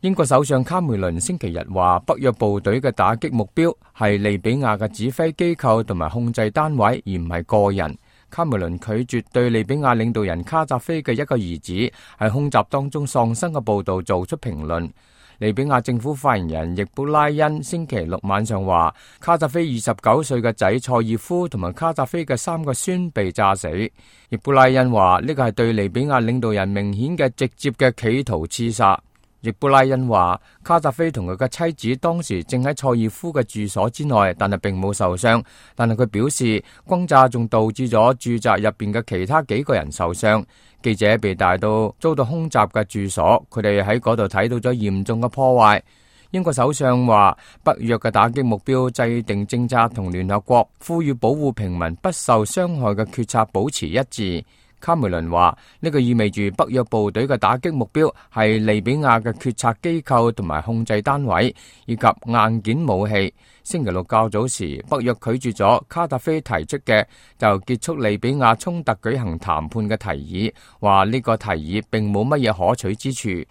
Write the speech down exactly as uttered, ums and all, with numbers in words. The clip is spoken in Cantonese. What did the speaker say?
英國首相卡梅倫星期日話，北約部隊嘅打擊目標係利比亞嘅指揮機構同埋控制單位，而唔係個人。卡梅倫拒絕對利比亞領導人卡扎菲嘅一個兒子喺空襲當中喪生嘅報道做出評論。利比亞政府發言人易卜拉欣星期六晚上話，卡扎菲二十九歲嘅仔塞爾夫同埋卡扎菲嘅三個孫被炸死。易卜拉欣話呢個係對利比亞領導人明顯嘅直接嘅企圖刺殺。易卜拉欣話，卡扎菲同佢嘅妻子當時正喺塞爾夫嘅住所之內，但係並冇受傷。但係佢表示，轟炸仲導致咗住宅入邊嘅其他幾個人受傷。記者被帶到遭到空襲嘅住所，佢哋喺嗰度睇到咗嚴重嘅破壞。英國首相話，北約嘅打擊目標制定政策同聯合國呼籲保護平民不受傷害嘅決策保持一致。卡梅倫話，呢個意味住北約部隊嘅打擊目標係利比亞嘅決策機構同埋控制單位以及硬件武器。星期六較早時，北約拒絕咗卡達菲提出嘅就結束利比亞衝突舉行談判嘅提議，話呢個提議並冇乜嘢可取之處。